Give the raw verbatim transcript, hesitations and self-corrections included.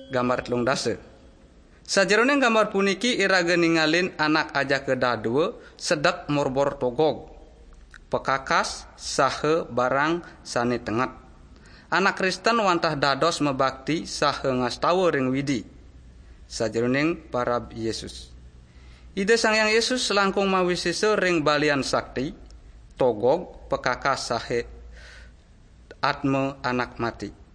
Gambar telung dasa. Sajeroning gambar puniki iraga ningalin anak ajaka dadua sedek morbor togog, pekakas saha barang sane tenget. Anak Kristen wantah dados mabakti saha ngastawa ring Widi sajeroning parab Yesus. Ida Sang Hyang Yesus langkung mawisesa ring balian sakti, togog, pekakas saha atma anak mati.